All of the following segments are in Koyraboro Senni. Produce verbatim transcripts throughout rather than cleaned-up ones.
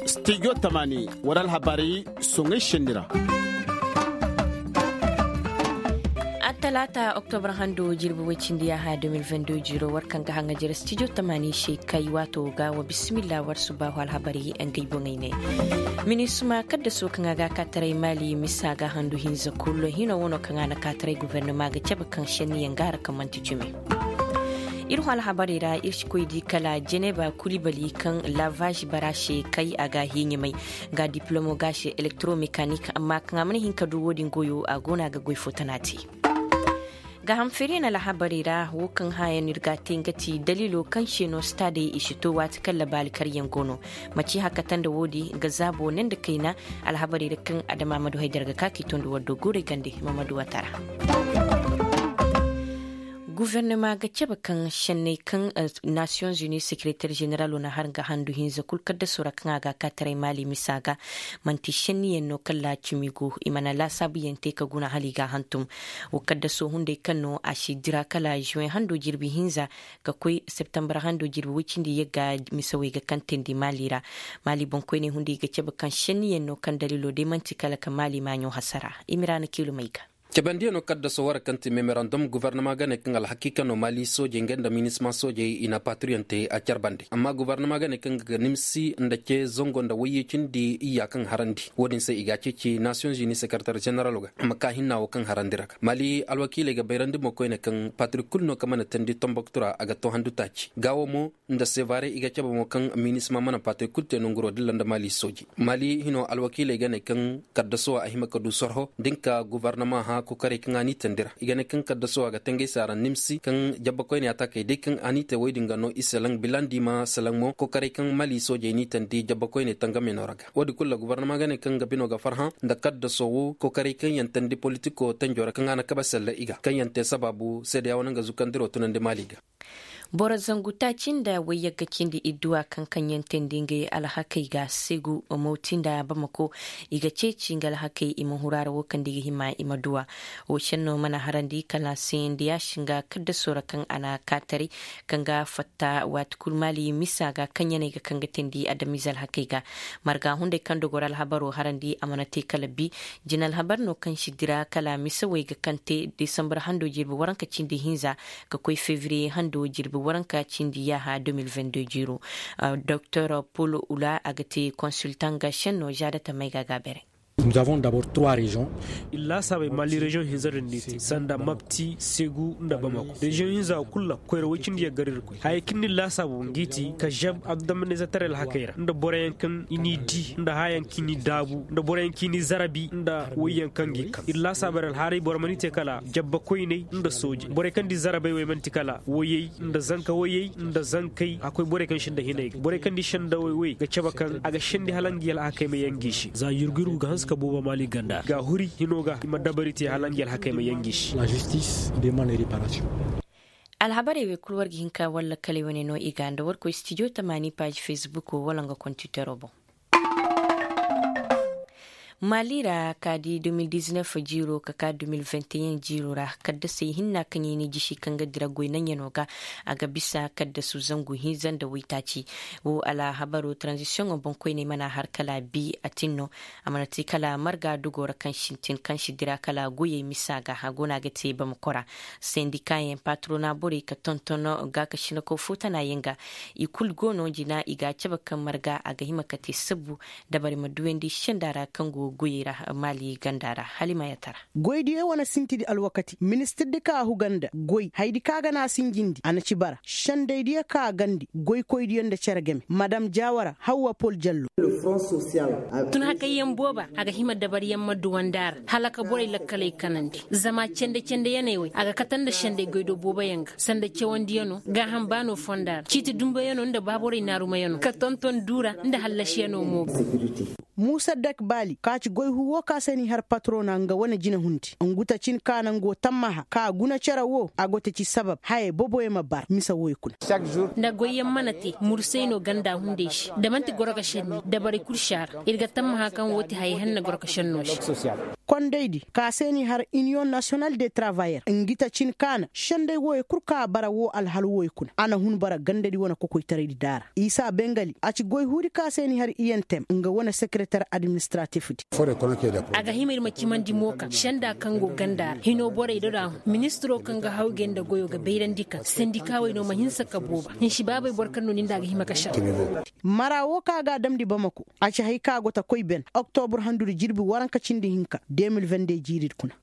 Studio tamaani war alhabaari soŋay šenni ra. Attalaata oktobar hando jirbi woy cindi yaaha deux mille vingt-deux jiiro war kaŋ ga haŋa jere studio tamaani se kay waato ga wa bisimilla war subaahu alhabaari ngey boŋey ne. Minisma kaddaso kaŋ a ga a kaataray maali misa ga handu hinza kul hino wano kaŋ a na kaataray gubernama ga cabe kaŋ šenniyaŋ ga hara kaŋ manti cumi. Ir hõ alhabarey ra ir si koy di kala jeneba kulibali kaŋ lavage bara se kay a ga hiiɲamay ga diplomo ga se elektoromekanik amma kaŋ a mana hin ka du wo-din goyo a go no a ga goy fo tana te. Gaaham feerey na alhabarey ra wo kaŋ hãayaŋ no ir ga a te nga ti daliilo kaŋ se no staadey i si to waati kaŋ labaali karyaŋ go no. Maci hakata nda woodi nga zaabo ne nda kayna. Alhabarey ra kaŋ adama ma du haydara ga ka k'i tondi war do guurey gande ma ma du watara. Gubernama ga cabe kaŋ šenney kaŋ nasiyoŋ zuni sekereter ženeralo na har nga handu hinza kul kaddasoo ra kaŋ a ga a kaataray maali misa ga. Man'ti šenniyaŋ no kaŋ laacimi go i mana laasaabuyaŋ te ka guna hala i ga a hantum. Wo kaddasoo hunday kaŋ no a si dira kala žuweŋ hando jirbi hinza ka koy septembar hando jirbi woy cindi yagga. Misawey ga kantandi maali ra. Maali boŋkoyney hunday ga cabe kaŋ šenniyaŋ no kaŋ daliiloo day man'ti kala ka maali maaɲo hasara. Imiraana kiilum ay ga. Cabandiyaŋo kaddasoo war kaŋ ti memorandum gobornama ga ne kaŋ alhakiika no maali soojey nga nda minisma soojey i na patriyoŋ te a carbandi amma gobornama ga ne kaŋ ga nimsi nda ce zango nda wayye cindi iyya kaŋ harandi wo-din se i ga a ceeci nasiyoŋ zuni sekereter ženeralo ga. Ma ka hinna wo kaŋ harandi ra ga maali alwakiiley ga bayrandi mo koyne kaŋ patrik kul no kaŋ mana teendi tomboktu ra a ga to handu taaci gaawo mo nda sevare i ga cabe mo kaŋ minisma mana patririk kul te nonguroo dilla nda maali soojey. Maali hino alwakiiley ga ne kaŋ kaddasuwa a hima ka du sorho da nga ka gobornama hã kokoray kaŋ a n'i teendi ra i ga ne kaŋ kaddasuwa ga tangay se a ra nimsi kaŋ jabbakoyney ataakey day kaŋ a n'i te woy din ga no i selaŋ bilandi ma selaŋ mo kokoray kaŋ maali soojey n'i teendi jabbakoyney tangamey no ra ga wo- din kul ra gobornama ga ne kaŋ nga bino ga farhã nda kaddasoo wo kokoray kaŋ yaŋ teendi politikoo tanjoo ra kaŋ a na kabe selle i ga kaŋ yaŋ te sabaabu seedeya wane nga zukandiroo tunandi maali ga. Boro zangu taaci nda wayyagga cindi idduwa kaŋ kaŋ yaŋ teendi ngey alhakey ga segu mawti nda bamako. I ga ceeci nga alhakey i ma huru a ra wo kaŋ nda i ga hima i ma duwa. Wo senno mana harandi kala se nda yaasin ga kaddasoo ra kaŋ a na kaataray kaŋ ga fatta waati kul maali misa ga kaŋ yaŋ ay ga kaŋ ga teendi adamize alhakey ga. Marga hunday kaŋ dogor alhabaroo harandi a mana te kala bi. Jina alhabar no kaŋ si dira kala misawey ga kaŋ te desambar hando jirbi waranka cindi hinza ka koy fevriye hando jirbi waranka cindi yaaha deux mille vingt-deux jiiro. Doktor pol ula a ga te konsultaŋ ga senno zaada tamay ga a ga a beere. Nous avons d'abord trois régions. Iri laasaabey maali reziyoŋ hinza din no i te sanda mapti segu nda bamako reziyoŋ hinza kul ra koyra woy cindi yagga ra iri koy hayey kaŋ no iri laasaabu ngi ti ka zeb adamaniizataray alhakey ra nda boroyaŋ kaŋ i n'i di nda haayaŋ kaŋ i n'i daabu nda boroyaŋ kaŋ i n'i zarabi nda woyyaŋ kaŋ gi kaŋ iri laasaabu iri alhaaray boro mana i te kala jabbakoyney nda soojey borey kaŋ di zarabey wey mana ti kala woyey nda zanka woyey nda zankey a koy borey kaŋ sinda hinay ga borey kaŋ di sendawey wey ga cabe kaŋ a ga sendi hala ngi alhakey ma yaŋ ngi se za yurgu yurgu ga hanse ka boobo maali ganda ga huri hino ga i ma dabari te hala ngi alhakey ma yaŋ ngi se. Alhabarey wey kul war ga hin ka war lakkaley wane no i ga nda war koy stijo tamaani paazi fesbukoo wala nga kontiteroo boŋ. Maali ra ka di deux mille dix-neuf jiiroo ka ka deux mille vingt et un jiiroo ra kaddasey hinna kaŋ i na i jisi kaŋ ga dira goy naŋyanoo ga. A ga bisa kaddasu zangu hinza nda waytaaci. Wo alhabaroo taranzisiyoŋoo boŋkoyney mana har kala bi a tin no. A mana te kala marga dogoo ra kaŋ sintin kaŋ si dira kala goyey misa ga a go no a ga te bamako ra. Sendikaayaŋ patrona borey ka tonton gaakasinakoo footanaayaŋ ga. I kul go no jina i ga a cabe kaŋ marga a ga hima ka te sabbu dabari ma duwandi senda ra kaŋ go goyey ra maali ganda ra. Halima yatara. Goydiyo wane sintidi alwakati ministirdi kaŋ a huga nda goy haydi kaŋ a ga na a sinjindi a na ci bara sendaydiyo kaŋ a gandi goykoydiyo nda cere game madam jaawara hawwa pol jallo. Tun hakayyaŋ booba a ga hima dabariyaŋ ma duwandi a ra hala ka borey lakkaley kanandi zama cende-cende yaney wey a ga kate nda senday goydoo booboyaŋ ga sanda cawandiyano gaaham baano fonda ra ciiti dumbayano nda baaborey naarumayano ka tonton duura nda hallasiyano mo ga. Muusa dak baali ka ci goy huu woo ka se n'i har patrona nga wane jinahundi ngu ta cin ka naŋ go tammaha ka guna cere woo a go ta ci sabab haya boboyaŋ ma bar mise wooyo kuna. Nda goyyaŋ mana te mursay no ganda hunday se da man'ti goro ga šenni dabarey kul si a ra. Ir ga tammaha kaŋ woo ti haya henna goro ga šenno se. Kondaydi ka se n'i har iniyoŋ nasiyonal de travayer ngi ta cin ka na senday wooyo kul ka bara woo alhal wooyo kuna a na hun bara gandadi wane kokoytaraydi daara isa bengali a ci goy huudi ka se n'i har iyentem nga wane sekereter administratifdi. A ga hima ir ma cimandi mo kaŋ senda kaŋ go ganda ra hino borey do da hun ministiro kaŋ ga hawgay nda goyo ga bayrandi kaŋ sendikawey no ma hinsa ka booba hinsi baabey boro kaŋ no ni nda a ga hima ka senda. Mara woo kaŋ a ga a damndi bamako a ci hay kaŋ a go ta koy ben oktobur handudi jirbi waranka cindi hinka de mil vende jiiridi kuna.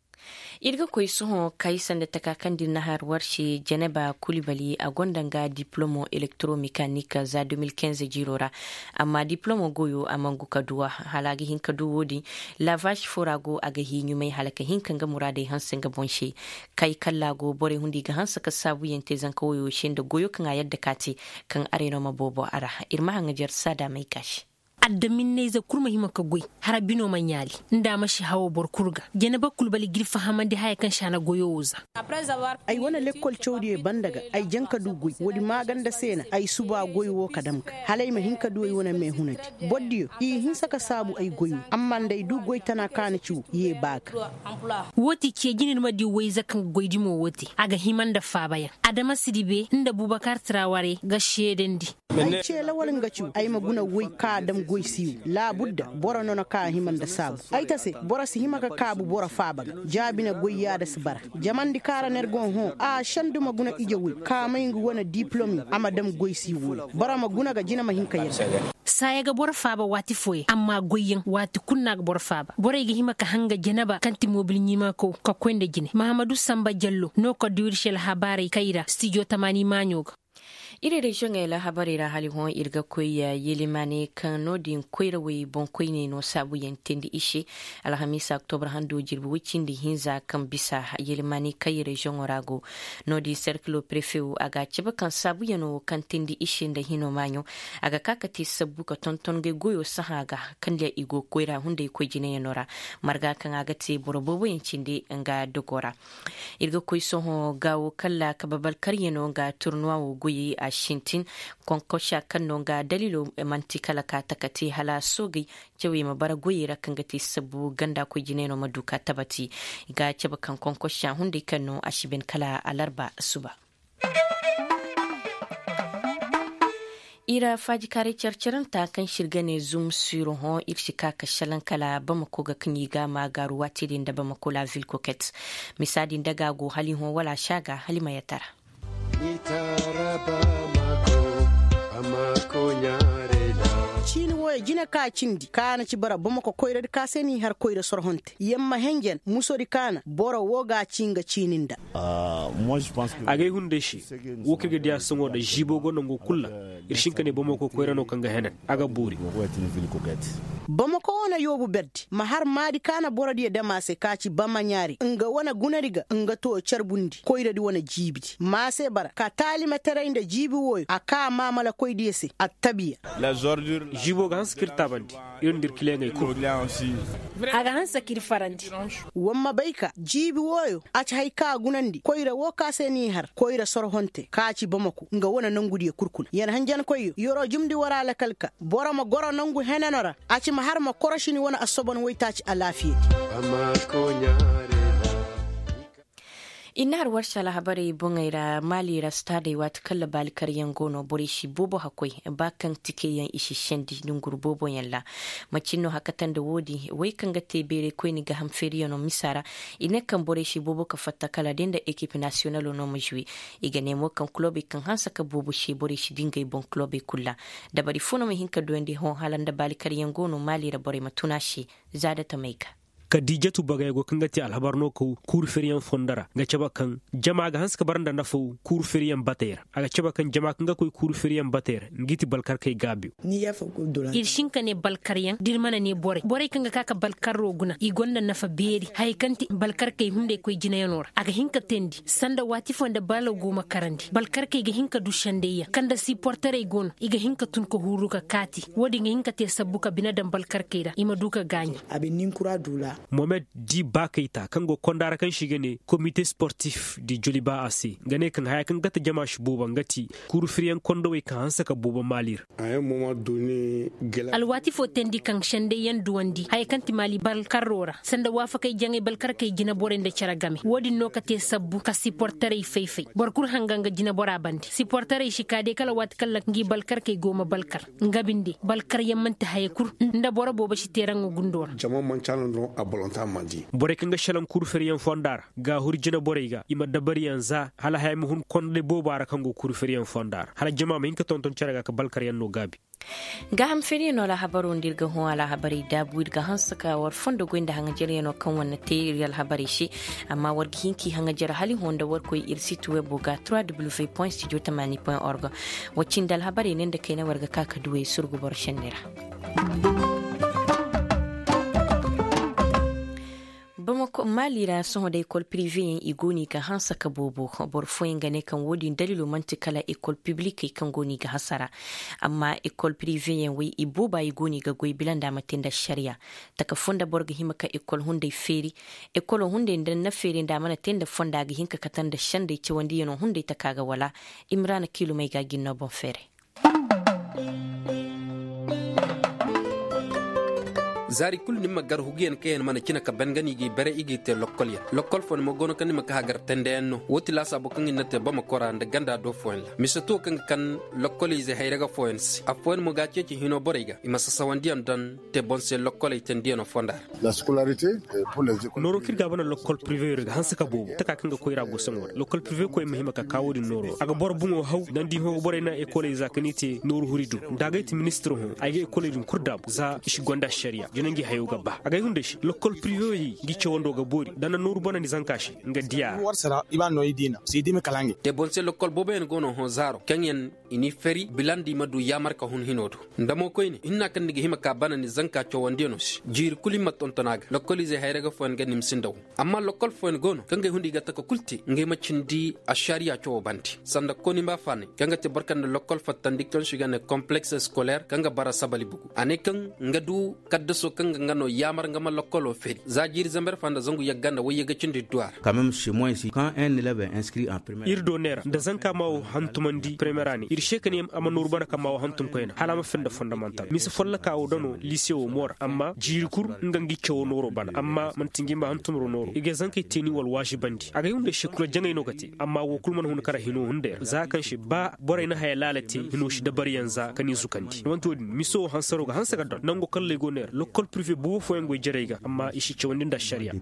Ir ga koy sohõ kay sanda taka kaŋ da ir na har war se jeneba kulibali a gonda nga diplomo elektoromekanik za de mil kinze jiiro ra. Amma diplomo goyo a mangu ka duw'a hala a ga hin ka du wo-din. Lavaš fo ra go a ga hii ɲumay hala ka hin ka nga muraadey hanse nga boŋ se. Kay kalla go borey hundi ga hanse ka saabuyaŋ te zanka woyo se nda goyo kaŋ a yadda ka te kaŋ areno ma boobo a ra. Ir ma haŋajer saada may ka se. Adaminney za kul ma hima ka goy hara bino ma ɲaali. Nda a ma si hawo boro kul ga janaba kul bali gir fahamandi haya kaŋ si a na goyo wo za. Ay wane lekkol cawdiyey banda ga ay jaŋ ka du goy woodi maaganda se na ay suba goy wo ka dam ga hala ay ma hin ka du ay wane meehunadi. Bordiyo i hinsa ka saabu ay goy wo amma nda ay du goy tana kaŋ a na ci wo ye ba ga. Wo ti ce jine ni ma di wayza kaŋ ga goy dimo wo te a ga hima nda faabayaŋ. Adama sidibe nda bubakar traware ga seedandi. Ay ce lawal nga cu ay ma guna woy ka a dam goy si wo laabudda boro nono ka a hima nda saabu. Ay ta se boro si hima ka kaabu boro faaba ga jaabi na goy yaada si bara. Jamandi kaŋ ra no ir go hõ a sendu ma guna ije woy ka may nga wane diplom yo a ma dam goy si wo. Boro ma guna ga jina ma hin ka yadda. Saaya ga boro faaba waati fooyaŋ amma goyyaŋ waati kul no a ga boro faaba borey ga hima ka hanga janaba kaŋ ti mobil ɲiimakaw ka koy nda jine mahamadu samba jallo no ka du ir se alhabaarey kayra stijo tamaani maaɲo ga. Iri reziyoŋey alhabarey ra hala hõ ir ga koy yelimaane kaŋ no-din koyrawey boŋkoyney no saabuyaŋ teendi i se. Alhamiisa oktobra hando jirbi woy cindi hinza kaŋ bisa yelimaane kaŋ i reziyoŋo ra go. No-din serkilo prefe wo a ga a cabe kaŋ saabuyaŋo kaŋ teendi i se nda hino maaɲo a ga ka ka te sabbu ka tonton ngey goyo sahã ga kaŋ diya i go koyra hunday koy jinayaŋo ra. Marga kaŋ a ga te boro booboyaŋ cindi nga dogo ra. Ir ga koy sohõ gaawo kalla kabe balkaryano nga turnuwa wo goyey a sintin. Konkosha kaŋ no nga dalilo man'ti kala ka taka te hala soogey cawey ma bara goyey ra kaŋ ga te sabbu ganda koy jinayno ma du ka tabati. I ga cabe kaŋ konkosha hunday kaŋ no a si ben kala alarba suba. Ir faajikaaray care-caranta kaŋ se ir ga ne zum siro hõ ir si ka ka šelaŋ kala bamako ga kaŋ i ga a ma gaaru waati din nda bamako la vil koket. Misa din daga a go hala i hõ wala a si a ga hala i ma yatara. Ciini wooyo jine ka cindi ka na ci bara bamako koyradi ka se n'i har koyra sorhonte yamma henjen musodi ka na boro woo ga a ci nga ciini nda. Agay hunday se, wo kaŋ ir ga diya sohõ nda ziibo go nango kul ra. Ir si hin ka ne bamako koyra no kaŋ ga henan a ga boori. Bamako wane yoobu berdi ma har maadi ka na borodiyo dam a se ka ci bamaɲaari nga wane gunadi ga nga too carbundi koyradi wane jiibidi ma a se bara ka taalimateray nda jiibi wooyo a kaa maamalakoydiyo se attabiya. Ziibo ga hanse k'ir taabandi. Ir nda ir kileŋey kul. A ga hanse k'ir farandi. War ma bay ka jiibi wooyo a ci hay ka a gunandi koyra woo ka se n'i har koyra sorhonte ka ci bamako nga wane nongudiyo kul kuna yar hanjankoyyo yer'o jumndi war alakal ka boro ma goro nongu heneno ra. A ci ma har ma korošini wane assobon waytaaci alaafiyadi. I na har warsa alhabarey boŋey ra maali ra staadey waati kaŋ ra baali karyaŋ go no borey si boobo hakkoy ba kaŋ tikeyaŋ i si sendi nonguru booboyaŋ ra. Macin no hakata nda woodin wey kaŋ ga te beerey koyne ga ham feeriyano misa ra. I ne kaŋ borey si boobo ka fatta kala day nda ekip nasiyonalo no ma zuwe. I ga ne mo kaŋ kulobey kaŋ hanse ka boobo se borey si di ngey boŋ kulobey kul ra. Dabari fo no ma hin ka duyandi hõ hala nda baali karyaŋ go no maali ra borey ma tun a se. Za da tamey ga. Kadiijatu bagay go kaŋ ga te alhabar no kaw kuuru feriyaŋ fondo ra ga cabe kaŋ jama ga hanse ka bara nda nafaw kuuru feriyaŋ batey ra. A ga cabe kaŋ jama kaŋ ga koy kuuru feriyaŋ batey ra ngi ti balkarkey gaabiyo. Ir si hin ka ne balkaryaŋ da ir mana ne borey borey kaŋ ga ka ka balkarro guna i gonda nafa beeri hayey kaŋ ti balkarkey hunday koy jinayano ra a ga hin ka teendi sanda waati foo nda balaw go ma karandi balkarkey ga hin ka du sendayyaŋ kaŋ nda siporterey go no i ga hin ka tun ka huuru ka kaati. Wo-din ga hin ka te sabbu ka bine daŋ balkarkey ra i ma du ka gaaɲi. Mohamed di baakayta kaŋ go konda ra kaŋ se i ga ne komite sportif di joliba a se nga ne kaŋ haya kaŋ gata jama si boobo nga ti kuuru firiyaŋ kondowey kaŋ hanse ka boobo maali ra. Alwaati foo teendi kaŋ sendayyaŋ duwandi haya kaŋ ti maali balkarro ra sanda waafakey jaŋay balkarkey jineborey nda cere game wo-din no ka te sabbu ka siporterey fay-fay boro kul hanga nga jinebora bande siporterey si ka day kala waati kaŋ ra ngi balkarkey go ma balkar. Nga binde balkaryaŋ man'ti haya kul nda boro boobo si teeraŋo gundo ra. Borey kaŋ ga šelaŋ kuuru feriyaŋ fonda ra ga a huru jineborey ga i ma dabariyaŋ za hala haya ma hun konday booba ra kaŋ go kuuru feriyaŋ fonda ra hala jama ma hin ka tonton cere ga ka balkaryaŋ no gaabi. Gaaham feriyaŋo alhabaroo nda ir ga hõ alhabarey daabu ir ga hanse ka war fondo goy nda haŋajaryaŋo kaŋ war na te ir alhabarey se. Amma war ga hin k'i haŋajar hala i hõ nda war koy ir sit webo ga trois w point studio tamani point org. Wa cindi alhabarey ne nda kayna war ga ka ka duwey surgu boro šenni ra. Bamako maali ra sohõ da ekol piriveyaŋ i go no i ga hanse ka boobo. Boro fooyaŋ ga ne kaŋ wo-din daliilo man'ti kala ekol piblikey kaŋ go no i ga hasara. Amma ekol piriveyaŋ wey i booba i go no i ga goy bila nda a ma te nda ašariya. Taka foo nda boro ga hima ka ekol hunday feeri. Ekolo hunday nda na feeri nda a mana te nda fonda a ga hin ka kate nda sendey cawandiyano hunday taka ga wala. Imrana kiilumey ga a gin no boŋ feeray. Zaari kulu ni ma gar huguyaŋ kaŋ yaŋ mana cina ka ban ga no i g'i bare i g'i te lokkolyaŋ lokkol fooyaŋ mo go no kaŋ ni ma ka hagar tendeyaŋ no wo ti laasaabu kaŋ i na te bamako ra nda ganda do fooyaŋ ra mise to kaŋ ga kan lokkol ize hayra ga fooyaŋ se affooyaŋ mo ga a ceeci hino borey ga i ma sasawandiyaŋ daŋ te boŋ se lokkoley tendiyaŋo fonda ra. Nooro kaŋ ir ga a bana lokkol piriveyo ra ga hanse ka boobo taka kaŋ ga koy ra go saŋo ra lokkol pirive koy ma hima ka ka wo-din nooro a ga boro boŋo haw nda ni di hõ ga borey naŋ ekoley za ka ni te nooru huri do nda agay ti ministiro hõ ay ga ekoley din kul daabu za i si gonda ašariya jina ngi hayo ga ba agay hunday se lokkol piriveyo yaŋ ngi cawando ga boori nda na nooru bana ni zanka se nga diya ra. Te boŋ se lokkol booboyaŋ go no hõ zaaro kaŋ yaŋ i n'i fari bila nda i ma du yaamar ka hun hino do nda mo koyne hinna kaŋ ni ga hima ka bana ni zanka cawandiyano se jiiri kulu i ma tonton a ga lokkol izey hayra ga fooyaŋ ga nimsi nda wo. Amma lokkol fooyaŋ go no kaŋ ga ay hunday ga taka kul te ngey ma cindi ašariya cawo bande sanda konimba faanay kaŋ ga te boro kaŋ nda lokkol fattandi kaŋ se i ga ne kompleks eskoler kaŋ ga bara sabali bugu a ne kaŋ nga du kaddaso kaŋ ga nga no yaamar nga ma lokkolo feri za jiiri zamber fa nda zangu yagga nda wayye ga cindi duwa ra. Ir do neera nda zanka ma wo hantumandi premiyer a ne ir se ka ne a ma nooru bana kaŋ ma wo hantum koyna hala a ma fenda fondamantal mise folloka wo dano lise wo mo ra amma jiiri kul nga ngi cawo nooro bana amma man'ti ngi ma hantumro nooro i ga zankey teeni wala waazibandi agay hunday se kula jaŋay no ga te amma wo kul mana hun kara hino hunday ra za kaŋ se ba borey na haya laala te hino si dabaryaŋ za ka ni zukandi man'ti wo-din mise wo hansaro ga hanse ga don nango kalley go neera lokkol pirive boobo fooyaŋ goy jarey ga amma i si cawandi nda ašariya.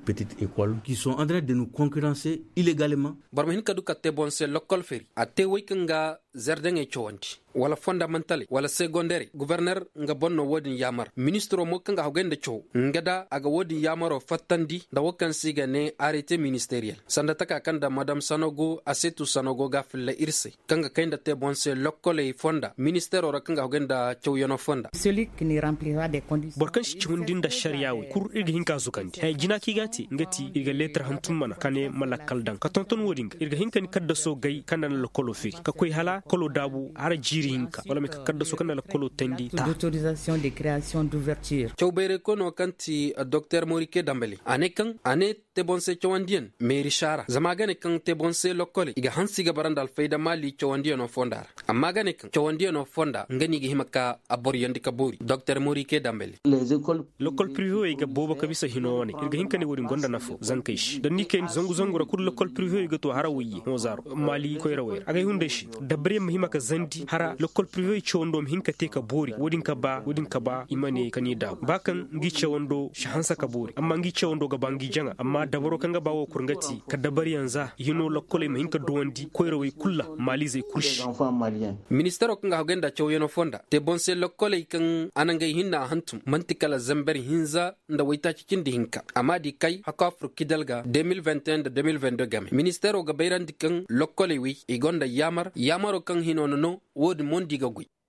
Boro ma hin ka du ka te boŋ se lokkol feri a te wey kaŋ ga zerdeŋey cawandi wala fondamantaley wala segonderey goborner nga boŋ no wo-din yaamar ministiro mo kaŋ ga hagay nda caw nga da a ga wo-din yaamaro fattandi nda wo kaŋ se i ga ne arete ministeriyel sanda taka kaŋ nda madam sanogo asetu sanogo ga a filla ir se kaŋ ga kay nda te boŋ se lokkoley fonda ministero ra kaŋ ga hagay nda cawyano fonda. Boro kaŋ si cawandi nda ašariya wey kul ir ga hin ka zukandi haya jina kaŋ i ga a te nga ti ir ga leetar hantum mana ka ne ma lakkal daŋ ka tonton wo-din ga ir ga hin ka ni kaddaso gay kaŋ nda na lakkolo feeri ka koy hala kolo daabu hara jiiri hinka wala ma ay ka kaddaso kaŋ nda lakkolo teendi ta. Caw bayray koyno kaŋ ti doktor morike dambali a ne kaŋ a ne te boŋ se cawandiyaŋ meeri saara zama a ga ne kaŋ te boŋ se lokkoley i ga hanse i ga bara nda alfayda maali cawandiyano fonda ra amma a ga ne kaŋ cawandiyano fonda nga no i ga hima ka a boroyandi ka boori doktor morike dambali. Lokkol pirive wey ga boobo ka bisa hino wane ir ga hin ka ne wo-din gonda nafo zankey se da ni kay zangu zangu ra kulu lokkol pirive wey ga to hara wayye hõ zaaro maali koyrawey ra agay hunday se dabari. ma hima ka zandi hara lokkol prive cawando ma hin ka te ka boori wo- din ka ba i ma ne ka ni daabu ba kaŋ ngi cawando si hanse ka boori amma ngi cawando ga ba ngi jaŋa amma dabaro kaŋ ga ba wo kul nga ti ka dabariyaŋ za i hino lokkoley ma hin ka duwandi koyrawey kul ra maalizey kul se. Ministaro kaŋ ga hagay nda cawyaŋo fonda te boŋ se lokkoley kaŋ a na ngey hinna a hantum man'ti kala zamber hinza nda waytaaci cindi hinka a m'a di kay hakko afur kidal ga de mil vingt et un nda de mil vingt deux game ministaro ga bayrandi kaŋ lokkoley wey i gonda yaamar yaamaro kaŋ hino na no wo- din mondi ga goy.